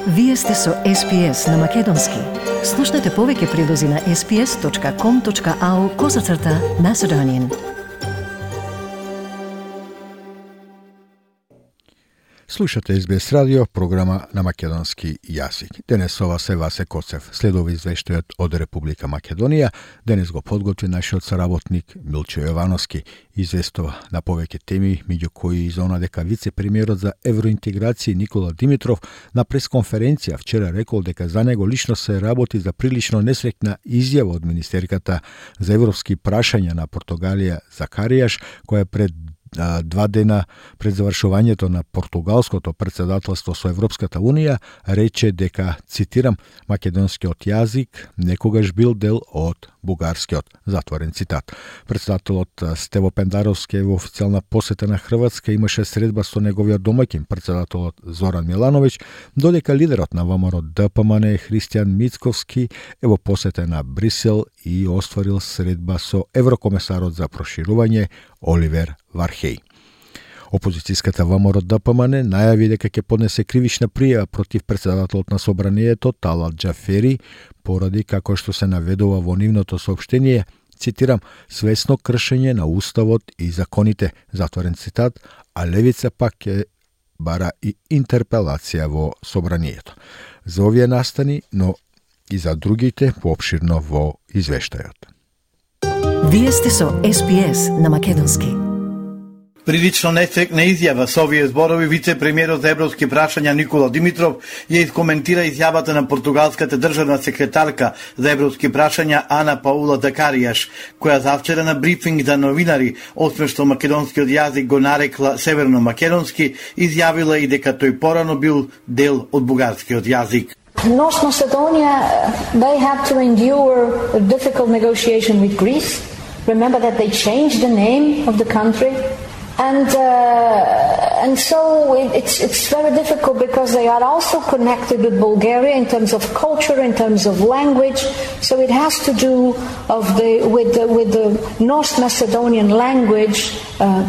Вие сте со SPS на Македонски. Слушнете повеќе прилози на sps.com.au/Macedonian. Слушате SBS радио, програма на македонски јазик. Денес ова се Васе Коцев. Следува извештајот од Република Македонија. Денес го подготви нашиот соработник Милчо Јовановски. Известува на повеќе теми, меѓу кои изона дека вице-премиерот за евроинтеграција Никола Димитров на пресконференција вчера рекол дека за него лично се работи за прилично несреќна изјава од министерката за европски прашања на Португалија Закаријаш, која пред 2 дена пред завршувањето на португалското претседателство со Европската Унија рече дека, цитирам, македонскиот јазик некогаш бил дел од бугарскиот, затворен цитат. Председателот Стево Пендаровски во официјална посета на Хрватска имаше средба со неговиот домаќин, председателот Зоран Милановиќ, додека лидерот на ВМРО ДПМН Христијан Мицковски е во посета на Брисел и остварил средба со еврокомесарот за проширување Оливер Вархеј. Опозицијската ВМРО ДПМН најави дека ќе поднесе кривична пријава против председателот на собранието Талат Џафери поради, како што се наведува во нивното соопштение, цитирам, свесно кршење на уставот и законите, затворен цитат, а левица пак ќе бара и интерпелација во собранието. За овие настани, но и за другите поопширно во извештајот. Вие сте со SPS на Македонски. Прилично несреќна изјава со овие зборови вице-премиерот за европски прашања Никола Димитров ја искоментира изјавата на португалската државна секретарка за европски прашања Ана Паула Закаријаш, која завчера на брифинг за новинари, освен што македонскиот јазик го нарекла северно-македонски, изјавила и дека тој порано бил дел од бугарскиот јазик. North Macedonia, they had to endure a difficult negotiation with Greece. Remember that they changed the name of the country. And so it's very difficult because they are also connected with Bulgaria in terms of culture, in terms of language. So it has to do with the North Macedonian language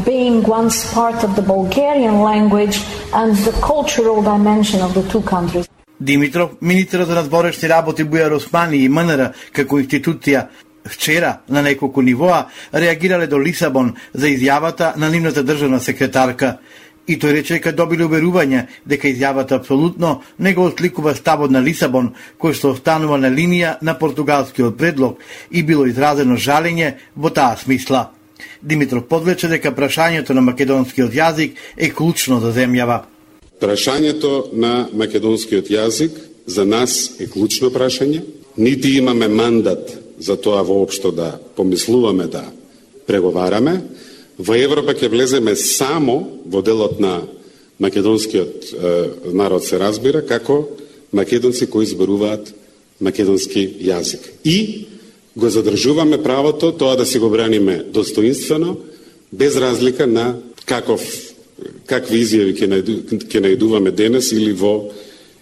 being once part of the Bulgarian language and the cultural dimension of the two countries. Димитров, министерот за надворешни работи Бујар Османи и МНР како институција вчера на неколку нивоа реагирале до Лисабон за изјавата на нивната државна секретарка. И тој рече дека добили уверување дека изјавата апсолутно не го осликува ставот на Лисабон, кој што останува на линија на португалскиот предлог и било изразено жалење во таа смисла. Димитров подлече дека прашањето на македонскиот јазик е клучно за земјава. Прашањето на македонскиот јазик за нас е клучно прашање. Нити имаме мандат за тоа воопшто да помислуваме да преговараме. Во Европа ќе влеземе само во делот на македонскиот народ се разбира како македонци кои зборуваат македонски јазик. И го задржуваме правото тоа да си го браниме достоинствено, без разлика на какви изјави ќе најдуваме денес или во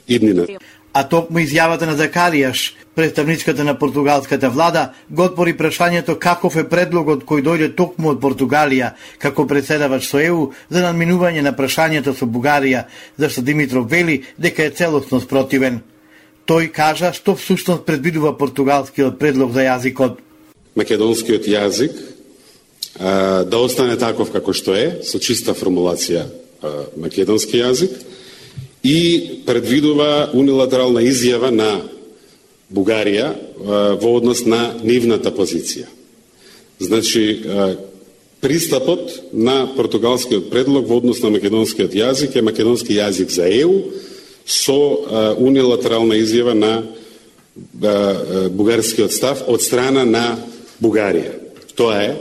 иднина. А токму изјавата на Закаријаш, представничката на португалската влада, го отвори прашањето каков е предлогот кој дојде токму од Португалија како председавач со ЕУ за надминување на прашањето со Бугарија, зашто Димитров вели дека е целосно спротивен. Тој кажа што всушност предвидува португалскиот предлог за јазикот. Македонскиот јазик да остане таков како што е, со чиста формулација македонски јазик, и предвидува унилатерална изјава на Бугарија во однос на нивната позиција. Значи, пристапот на португалскиот предлог во однос на македонскиот јазик е македонски јазик за ЕУ со унилатерална изјава на бугарскиот став од страна на Бугарија. Тоа е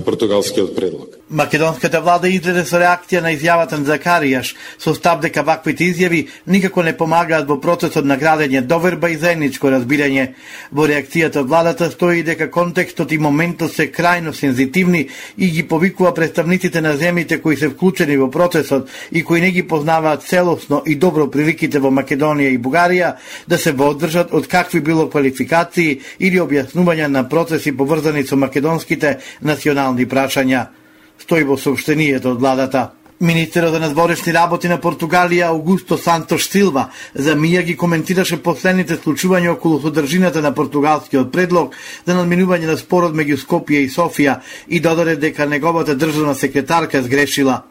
португалскиот предлог. Македонската влада излезе со реакција на изјавата на Закаријаш, со став дека ваквите изјави никако не помагаат во процесот на градење доверба и заедничко разбирање. Во реакцијата од владата стои дека контекстот и моментот се крајно сензитивни и ги повикува представниците на земјите кои се вклучени во процесот и кои не ги познаваат целосно и добро приликите во Македонија и Бугарија да се вооддржат од какви било квалификации или објаснувања на процеси поврзани со македонските национални прашања. Стои во сообштенијето од владата. Министерот за надворешни работи на Португалија Аугусто Сантош Силва за мија ги коментираше последните случувања околу содржината на португалскиот предлог за надминување на спорот меѓу Скопје и Софија и додаде дека неговата државна секретарка сгрешила.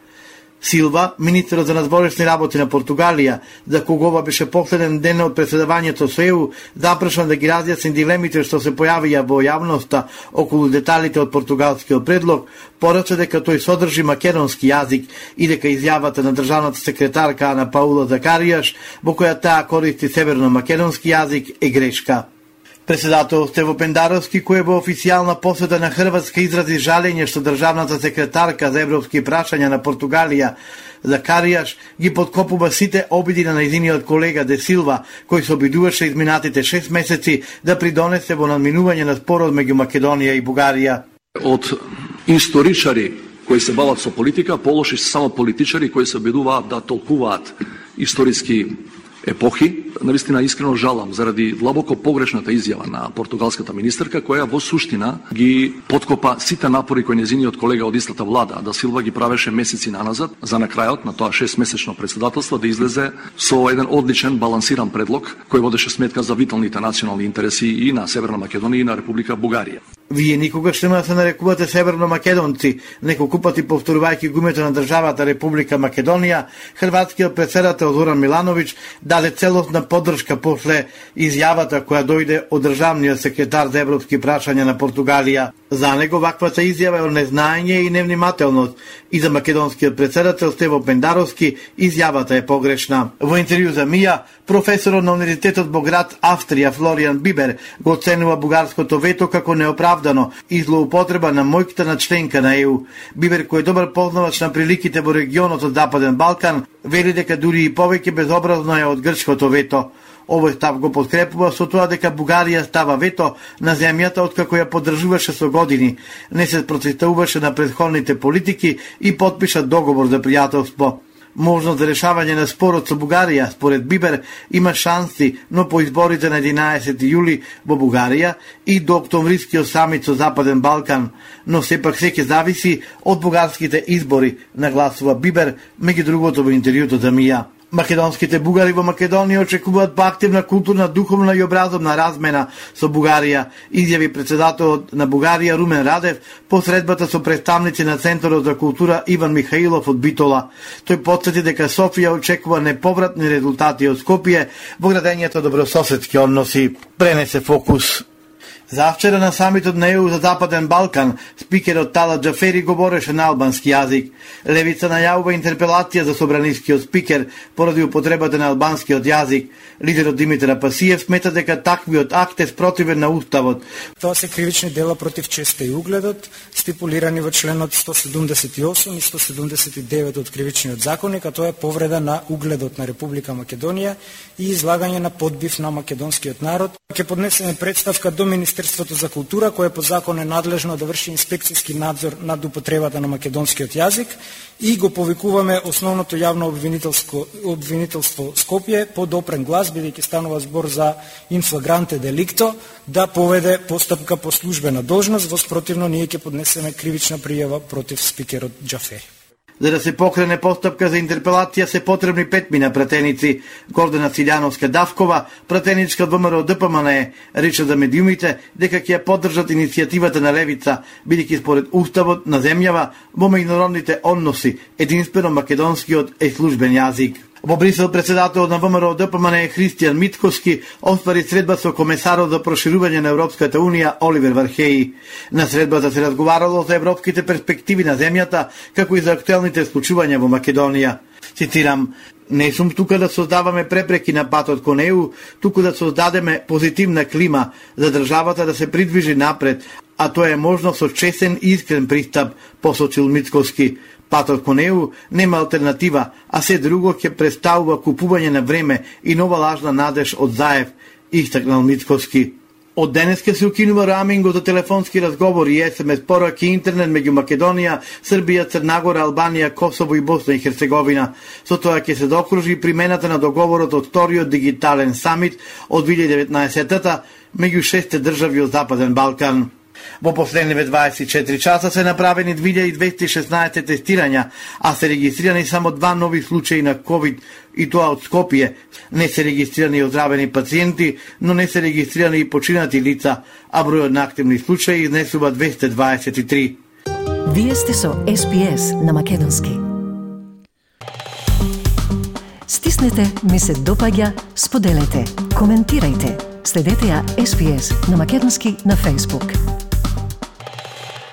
Силва, министерот за надворешни работи на Португалија, за кого ова беше последен ден од преседавањето со ЕУ, запрашан да ги разјасни дилемите што се појавија во јавноста околу деталите од португалскиот предлог, порача дека тој содржи македонски јазик и дека изјавата на државната секретарка Ана Паула Закаријаш, во која таа користи северно-македонски јазик, е грешка. Председател Стево Пендаровски, кој во официјална посета на Хрватска изрази жалење што државната секретарка за европски прашања на Португалија Закаријаш ги подкопува сите обиди на нејзиниот колега Де Силва, кој се обидуваше изминатите 6 месеци да придонесе во надминување на спорот меѓу Македонија и Бугарија. Од историчари кои се бават со политика, полоши се само политичари кои се обидуваат да толкуваат историски епохи. Навистина искрено жалам заради длабоко погрешната изјава на португалската министерка, која во суштина ги подкопа сите напори кои нејзиниот колега од истата влада, да Силва ги правеше месеци наназад, за на крајот на тоа 6-месечно председателство да излезе со еден одличен балансиран предлог кој водеше сметка за виталните национални интереси и на Северна Македонија и на Република Бугарија. Вие никогаш нема да се нарекувате северно-македонци, неколку пати повторувајќи гумето на државата Република Македонија, хрватскиот претседател Зоран Милановиќ даде целосна поддршка после изјавата која дојде од државниот секретар за европски прашања на Португалија. За него ваквата изјава е од незнаење и невнимателност и за македонскиот претседател Стево Пендаровски изјавата е погрешна. Во интервју за МИА, професорот на Универзитетот во град Австрија Флориан Бибер го оценува бугарското вето како неоправдано и злоупотреба на моќта на членка на ЕУ. Бибер, кој е добар познавач на приликите во регионот од Западен Балкан, вели дека дури и повеќе безобразно е од грчкото вето. Овој став го подкрепува со тоа дека Бугарија става вето на земјата откако ја поддржуваше со години, не се противставуваше на претходните политики и подпиша договор за пријателство. Можност за решавање на спорот со Бугарија, според Бибер, има шанси, но по изборите на 11 јули во Бугарија и до октомврискиот самит со Западен Балкан, но сепак се ќе зависи од бугарските избори, нагласува Бибер, меѓу другото во интервјуто за МИА. Македонските бугари во Македонија очекуваат поактивна културна, духовна и образовна размена со Бугарија, изјави председателот на Бугарија Румен Радев по средбата со представници на Центарот за култура Иван Михаилов од Битола. Тој потсети дека Софија очекува неповратни резултати од Скопје во градењето добрососедски односи. Пренесе фокус. Завчера на самитот на ЕУ за Западен Балкан, спикерот Талат Џафери говореше на албански јазик. Левица најавува интерпелација за собранискиот спикер поради употребата на албанскиот јазик. Лидерот Димитар Апасиев смета дека таквиот акт е спротивен на уставот. Тоа се кривични дела против честа и угледот, стипулирани во членот 178 и 179 од кривичниот законник, а тоа е повреда на угледот на Република Македонија и излагање на подбив на македонскиот народ. Ќе поднесеме представка до Министерството за култура, кое по закон е надлежно да врши инспекцијски надзор над употребата на македонскиот јазик, и го повикуваме основното јавно обвинителство Скопје под опрен глас, бидејќи станува збор за инфлагранте деликто, да поведе постапка по службена должност, во спротивно ние ќе поднесеме кривична пријава против спикерот Џафери. За да се покрене постапка за интерпелација се потребни 5 пратеници. Гордана Силјановска-Давкова, пратеничка од ВМРО ДПМН, рече за медиумите дека ќе ја поддржат иницијативата на Левица, бидејќи според уставот на земјава во меѓународните односи единствено македонскиот е службен јазик. Во Брисел председателот на ВМРО ДПМН Христијан Митковски оствари средба со комесарот за проширување на Европската Унија Оливер Вархеи. На средбата се разговарало за европските перспективи на земјата, како и за актуелните случувања во Македонија. Цитирам: "Не сум тука да создаваме препреки на патот кон ЕУ, туку да создадеме позитивна клима за државата да се придвижи напред, а тоа е можно со честен и искрен пристап", посочил Митковски. Патот кон ЕУ нема алтернатива, а се друго ќе представува купување на време и нова лажна надеж од Заев, истакнал Митковски. Од денес ќе се укинува роамингот за телефонски разговори и SMS пораки интернет меѓу Македонија, Србија, Црнагора, Албанија, Косово и Босна и Херцеговина. Со тоа ќе се заокружи примената на договорот од вториот дигитален самит од 2019-та меѓу 6 држави од Западен Балкан. Во последниве 24 часа се направени 2216 тестирања, а се регистрирани само 2 нови случаи на COVID, и тоа од Скопје. Не се регистрирани оздравени пациенти, но не се регистрирани и починати лица, а бројот на активни случаи изнесува 223. Вие сте со SPS на македонски. Стиснете, ми се допаѓа, споделете, коментирајте. Следете ја SPS на македонски на Facebook.